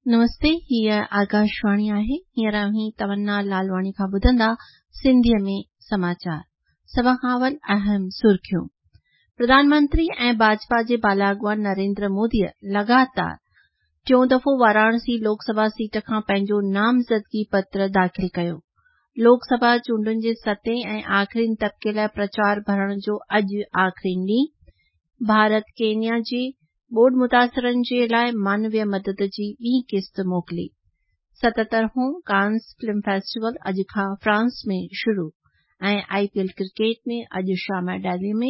نمستي، هيء آڪاشواڻي آهي. هينئر اوهين تمنا لالواڻي کان ٻڌندا سنڌيء ۾ سماچار. سڀ کان اول اهم سرخيون. پرڌان منتري ۽ ڀاجپا جي بالا اڳواڻ نريندر موديء لڳاتار ٽيون دفعو واراڻسي لوڪ سڀا سيٽ کان پنهنجو نامزدگي پتر داخل ڪيو. لوڪ سڀا چونڊن جي ستين ۽ آخرين طبقي لاء پرچار ڀرڻ جو اڄ آخرين ڏينهن. ڀارت ڪينيا جي ٻوڏ متاثرن جي لاء مانويه مدد جي ٻي قسط موڪلي. 77 هون ڪانس فلم فيسٽيول اڄ کان فرانس ۾ شروع ۽ آء پي ايل ڪرڪيٽ ۾ اڄ شام ڊيلهي ۾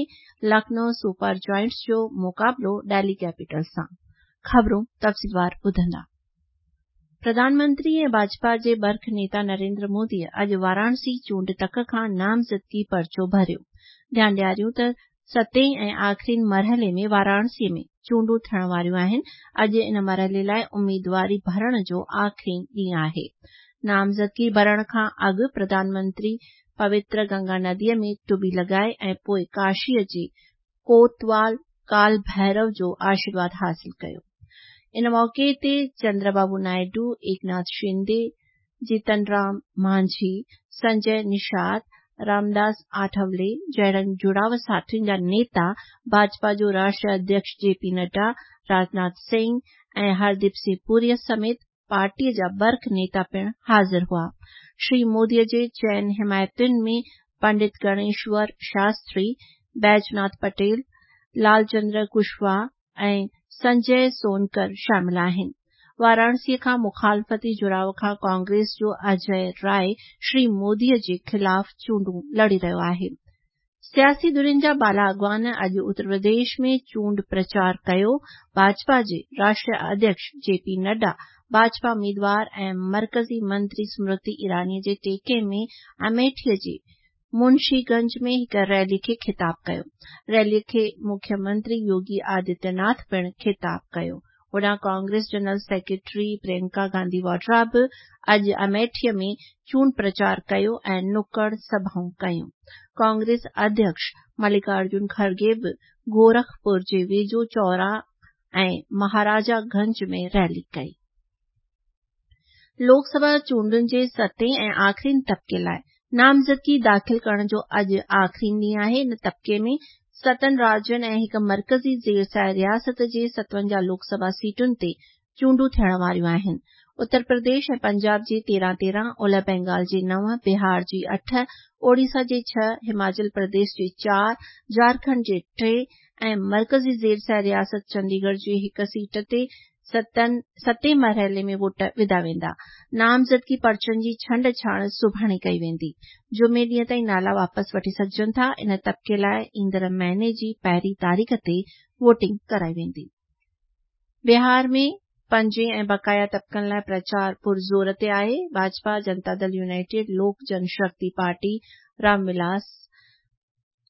لکنؤ سپر جائنٽس جو مقابلو ڊيلهي ڪيپيٽلز سان. خبرون تفصيلوار ٻڌندا. پرڌان منتري ۽ ڀاجپا جي برک نيتا نريندر موديء اڄ واراڻسي چونڊ تڪ کان نامزدگي پرچو ڀريو. ڌيان ڏياريون ته ستين ۽ آخرين مرحلي ۾ واراڻسي ۾ چونڊون ٿيڻ واريون آهن. اڄ ان مرحلي لاء اميدواري ڀرڻ جو آخرين ڏينهن آهي. نامزدگي ڀرڻ کان اڳ پرڌان منتري پوتر گنگا نديء ۾ ٽٻي لڳائي ۽ پوء ڪاشيء جي ڪوتوال ڪال ڀيرو جو آشيرواد حاصل ڪيو. ان موقعي تي چندر بابو نائيڊو، ايڪناٿ شندي، جيتن رام مانجهي، سنجي نشاد، رامداس آٺولي جهڙن جڙاء ساٿين جا نيتا، ڀاجپا جو راشٽريه اڌيڪش جي پي نڊا، راجناٿ سنگهه ۽ هرديپ سنگهه پوريء سميت پارٽيء جا برک نيتا پڻ حاضر هئا. شري موديء جي چئن حمايتين ۾ پنڊت گڻيشور شاستري، بيجناٿ پٽيل، لالچندر ڪشواهه ۽ سنجي سونڪر شامل آهن. واراڻسيء کان مخالفتي جڙاء کان ڪانگريس جو اجي راء شري موديء جي خلاف چونڊون لڙي رهيو آهي. سياسي ڌرين جا بالا اڳواڻ اڄ اتر پرديش ۾ چونڊ پرچار ڪيو، ڀاجپا جي راشٽريه اڌيڪش جي پي نڊا، ڀاجپا اميدوار ۽ مرڪزي منتري سمرتي ايراني جي ٽيڪي ۾ اميٺي جي منشي گنج ۾ هڪ ريلي کي خطاب ڪيو. ريلي کي مکيه منتري يوگي آدتيه ناٿ پڻ خطاب ڪيو. هوڏانهن ڪانگريس جنرل سيڪريٽري پرينڪا گانڌي واڊرا به اڄ اميٺي ۾ چونڊ پرچار ڪيو ۽ نڪڙ سڀائون ڪيون. ڪانگريس اڌيڪش ملڪا ارجن کرگي به گورکپور جي ويجهو چورا ۽ مهاراجا گنج ۾ ريلي ڪئي. لوڪ سڀا چونڊن جي ستين ۽ آخرين طبقي لاء نامزدگي داخل ڪرڻ جو اڄ آخرين ڏينهن آهي. ان طبقي ۾ ستن راجين ۽ هڪ مرڪزي زير سايه رياست جي 57 لوڪ سڀا سيٽن تي چونڊون ٿيڻ واريون آهن. اتر پرديش ۽ پنجاب جي 13 13، اولهه بينگال جي نو، بهار جي اٺ، اوڙيسا جي ڇهه، هماچل پرديش جي چار، جهارکنڊ جي ٽي ۽ مرڪزي زير سايه رياست چنديڳڙهه جي هڪ سيٽ تي ستين مرحلي ۾ ووٽ وڌا ويندا. نامزدگي پرچن جي ڇنڊ ڇاڻ سڀاڻي ڪئي ويندي. جمعي ڏينهن تائين نالا واپس وٺي سگهجن ٿا. ان طبقي لاء ايندڙ مهيني جي پهرين تاريخ تي ووٽنگ ڪرائي ويندي. بهار ۾ پنجين ۽ بقايا طبقن لاء پرچار پرزور تي آهي. ڀاجپا، جنتا دل يونائيٽيڊ، لوڪ جن شڪتي پارٽي، رام ولاس،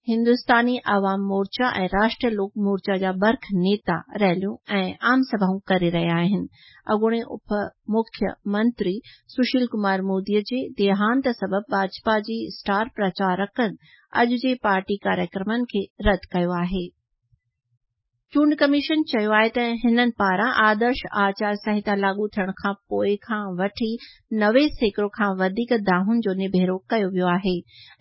هندستاني عوام مورچا ۽ راشٽريه لوڪ مورچا جا برک نيتا ريليون ۽ عام سڀائون ڪري رهيا آهن. اڳوڻي اپ مکيه منتري سشيل ڪمار مودي جي ديهانت سبب ڀاجپا جي اسٽار پرچارڪن اڄ جي پارٽي ڪاريڪرمن کي رد ڪيو آهي. چونڊ ڪميشن چيو آهي ته هنن پاران آدرش آچار سنهتا لاڳو ٿيڻ کان پوء کان وٺي 90% کان وڌيڪ دانهن جو نبيرو ڪيو ويو آهي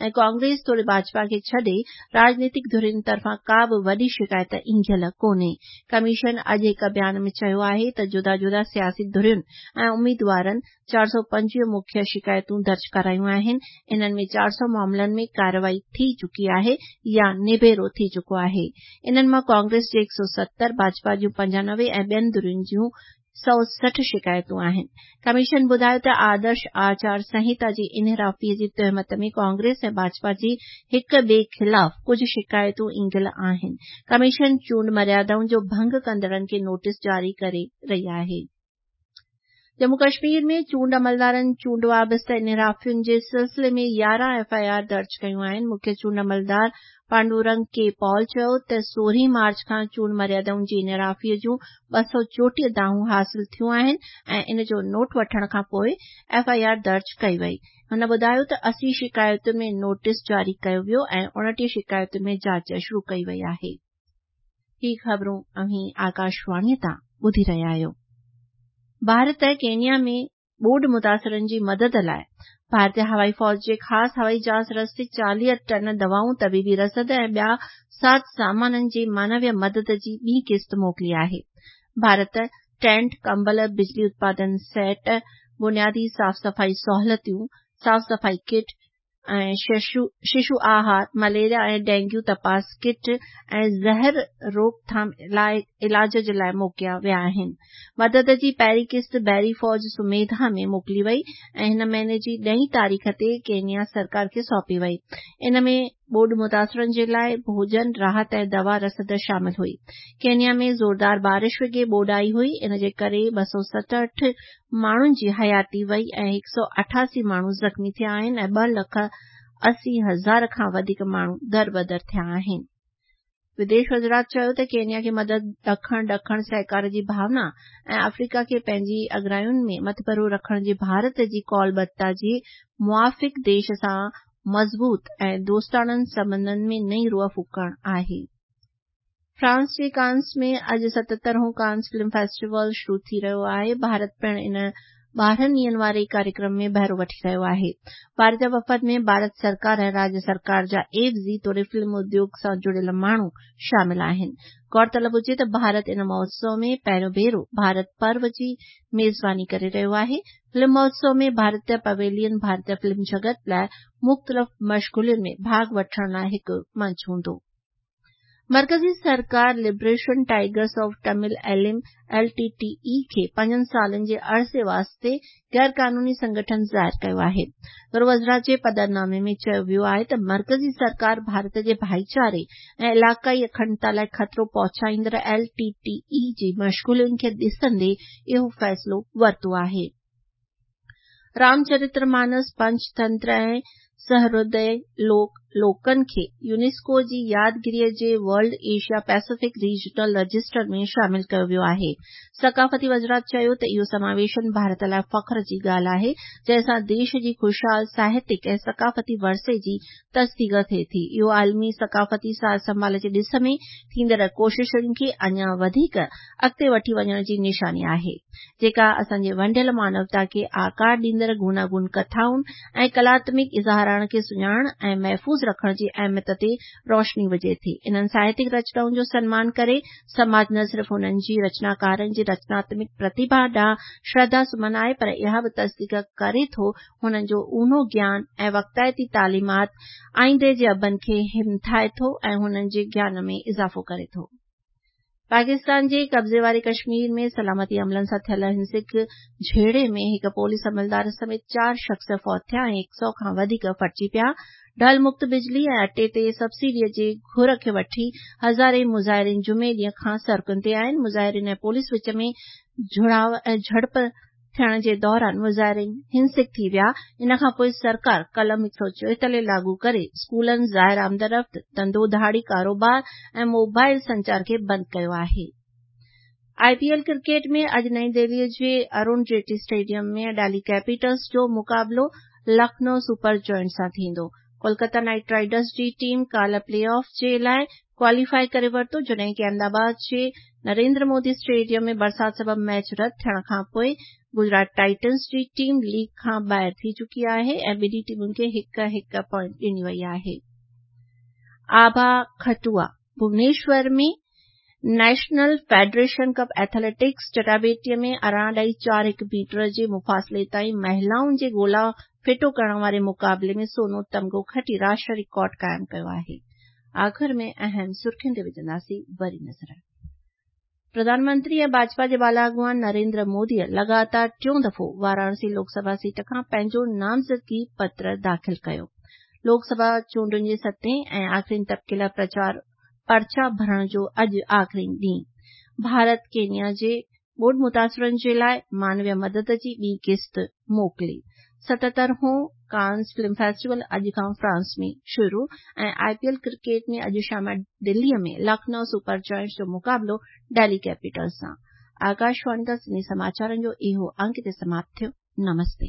۽ ڪانگريس توڙي ڀاجپا کي ڇڏي راڄنيتڪ ڌرين طرفان ڪا به وڏي شڪايت اينگهيل ڪونهي. ڪميشن اڄ هڪ بيان ۾ چيو آهي ته جدا جدا سياسي ڌرين ۽ اميدوارن 425 مکيه شڪايتون درج ڪرايون آهن، انهن ۾ 400 معاملن ۾ ڪارروائي ٿي چڪي آهي يا نبيرو ٿي چڪو آهي. انهن مان ڪانگريس جي 170، ڀاجپا جون 95 ۽ ٻين ڌرين جون 160 شڪايتون آهن. ڪميشن ٻڌايو ته آدرش آچار سنهتا جي انحرافي جي تهمت ۾ ڪانگريس ۽ ڀاجپا جي هڪ ٻئي خلاف ڪجهه شڪايتون اينگهيل آهن. ڪميشن چونڊ مريادائن جو ڀنگ ڪندڙن کي نوٽيس جاري ڪري رهي آهي. ڄمون ڪشمير ۾ چونڊ عملدارن چونڊ وابسته انحرافين جي سلسلي ۾ 11 ايف I R درج ڪيون آهن. مکيه چونڊ عملدار پانڊورنگ ڪي پال چيو ته 16 مارچ کان چونڊ مريادائن جي انحرافي جون 234 دانهون حاصل ٿيون آهن ۽ ان جو نوٽ وٺڻ کانپوء ايف I R درج ڪئي وئي. هن ٻڌايو ته 80 شڪايتن ۾ نوٽيس جاري ڪيو ويو ۽ 29 شڪايتن ۾ جاچ شروع ڪئي وئي آهي. هي خبرون اوهين آڪاشواڻيء تان ٻڌي رهيا آهيو. ڀارت ڪينيا ۾ ٻوڏ متاثرن جي مدد لاءِ ڀارتي هوائي فوج جي خاص هوائي جهاز رستي 40 ٽن دوائون، طبيبي رسد ۽ ٻيا ساز سامانن جي مانويه مدد جي ٻي قسط موڪلي آهي. ڀارت ٽينٽ، ڪمبل، بجلي اتپادن سيٽ، بنيادي صاف صفائي سهولتون، صاف صفائي ڪٽ ۽ ششو آهار، مليريا ۽ ڊينگيو تپاس ڪٽ ۽ زهر روڪٿام لاءِ علاج جي لاءِ موڪليا ويا آهن. مدد جي پهرين قسط بحري فوج سميڌا ۾ موڪلي وئي ۽ هن مهيني جي 10 تاريخ تي ڪينيا سرڪار کي سونپي وئي. ان ۾ ٻوڏ متاثرن جي لاءِ ڀوڄن، راحت ۽ دوا رسد شامل هئي. ڪينيا ۾ زوردار بارش وڳي ٻوڏ آئي هئي، ان جي ڪري 267 ماڻهن جي حياتي وئي ۽ 188 ماڻهو زخمي ٿيا آهن ۽ 2,80,000 کان وڌيڪ ماڻهو دربدر ٿيا آهن. وديش وزارت چيو ته ڪينيا کي مدد ڏکڻ ڏکڻ سهڪار جي ڀاونا ۽ آفريڪا کي پنهنجي اڳراين ۾ مٿڀرو رکڻ جي ڀارت جي قولبڌتا جي موافق ديش سان مضبوط ۽ دوستاڻن سنٻنڌن ۾ نئين روح ڦوڪڻ آهي. فرانس جي ڪانس ۾ اڄ 77هون ڪانس فلم فيسٽيول شروع ٿي رهيو آهي. ڀارت پڻ ان 12 ڏينهن واري ڪاريڪرم ۾ بهرو وٺي رهيو آهي. ڀارتي وفد ۾ ڀارت سرڪار ۽ راجيه سرڪار جا عيوضي توڙي فلم اديوگ سان جڙيل ماڻهو شامل آهن. غور طلب هجي ته ڀارت ان مهوتسو ۾ پهريون ڀيرو ڀارت پرو جي ميزباني ڪري رهيو آهي. فلم مهوتسو ۾ ڀارتي پويلين ڀارتي فلم جڳت لاءِ مختلف مشغولين ۾ ڀاڳ وٺڻ لاءِ هڪ منچ هوندو. مرڪزي سرڪار liberation tigers of Tamil Eelam L T T E کي 5 سالن جي عرصي واسطي غير قانوني سنگٺن ظاهر ڪيو آهي. گهرو وزارت جي پڌرنامي ۾ چيو ويو آهي ته مرڪزي سرڪار ڀارت جي ڀائيچاري ۽ علائقائي اکنڊتا لاءِ خطرو پهچائيندڙ ايل ٽي ٽي اي جي مشغولين کي ڏسندي اهو فيصلو ورتو آهي. رامچرتر مانس، پنچتنتر ۽ سهردي لوڪ لوڪن کي يونيسڪو جي يادگيريء جي world Asia Pacific regional register ۾ شامل ڪيو ويو آهي. ثقافتي وزارت چيو ته اهو سماويشن ڀارت لاءِ فخر جي ڳالهه آهي، جنهن سان ديش جي خوشحال ساهتڪ ۽ ثقافتي ورثي جي تصديق ٿئي ٿي. اهو عالمي ثقافتي سار سنڀال جي ڏس ۾ ٿيندڙ ڪوششن کي اڃا وڌيڪ اڳتي وٺي وڃڻ جي نشاني آهي، جيڪا اسان جي ونڊيل مانوتا کي آڪار ڏيندڙ گوناگون ڪٿائن ۽ ڪلاتمڪ اظهارڻ کي سڃاڻڻ ۽ محفوظ رکڻ جي اهميت تي روشني وجهي ٿي. انهن ساهتڪ رچنائن جو سنمان ڪري سماج نه صرف انهن جي رچناڪارن جي رچناتمڪ پرتڀا ڏانهن شرڌا سمن آهي، پر اها به تصديق ڪري ٿو هنن جو اونهو گيان ۽ وقتائتي تعليمات آئيندي جي ابن کي همٿائي ٿو ۽ هنن جي گيان ۾ اضافو ڪري ٿو. پاڪستان جي قبضي واري ڪشمير ۾ سلامتي عملن سان ٿيل هنسڪ جهيڙي ۾ هڪ پوليس عملدار سميت 4 شخص فوت ٿيا ۽ 100 کان وڌيڪ ڦٽجي پيا. ڍل مڪت بجلي ۽ اٽي تي سبسڊيء جي گهر کي وٺي هزارين مظاهرين جمعي ڏينهن کان سڙڪن تي آهن. مظاهرين ۽ پوليس وچ ۾ جهڙپ ٿيڻ جي دوران مظاهرين هنسڪ ٿي ويا. ان کان پوءِ سرڪار قلم 144 لاڳو ڪري اسڪولن، ظاهر آمدرفت، ڌنڌو ڌاڙي، ڪاروبار ۽ موبائل سنچار کي بند ڪيو آهي. آء پي ايل ڪرڪيٽ ۾ اڄ نئين دهلي جي ارون جيٽلي اسٽيڊيم ۾ ڊيلهي ڪيپيٽلز جو مقابلو لکنؤ سپر جائنٽس سان ٿيندو. ڪولڪتا نائيٽ رائيڊرز جي ٽيم ڪالهه پلي آف جي لاءِ ڪواليفائي ڪري ورتو، جڏهن ڪه احمد آباد جي نريندر مودي اسٽيڊيم ۾ برسات سبب ميچ رد ٿيڻ کان پوءِ گجرات ٽائٽنز جي ٽيم ليگ کان ٻاهر ٿي چڪي آهي ۽ ٻنهي ٽيمن کي هڪ هڪ پوائنٽ ڏني وئي آهي. Abha Khatua Bhubaneswar ۾ national federation cup athletics چٽاڀيٽيء ۾ 18.41 metre جي مفاصلي تائين مهلائن جي گولا ڦٽو ڪرڻ واري مقابلي ۾ سونو تمغو کٽي راشٽريه رڪارڊ قائم ڪيو آهي. آخر ۾ اهم سرخين تي وجهنداسين وري نظر. پرڌان منتري ۽ ڀاجپا جي بالا اڳواڻ نريندر موديء لڳاتار ٽيون دفعو واراڻسي لوڪ سڀا سيٽ کان پنهنجو نامزدگي پتر داخل ڪيو. لوڪ سڀا چونڊن جي ستين ۽ آخرين طبقي لاءِ پرچار پرچا ڀرڻ جو اڄ آخرين ڏينهن. ڀارت ڪينيا جي ٻوڏ متاثرن جي لاءِ مانويه مدد جي ٻي قسط موڪلي. 77هون ڪانس فلم فيسٽيول اڄ کان فرانس ۾ شروع ۽ آء پي ايل ڪرڪيٽ ۾ اڄ شام دليء ۾ لکنؤ سپر جائنٽس جو مقابلو ڊيلهي ڪيپيٽلز سان. آڪاشواڻي تان سنڌي سماچارن جو اهو انڪ هتي سماپت ٿيو. نمستي.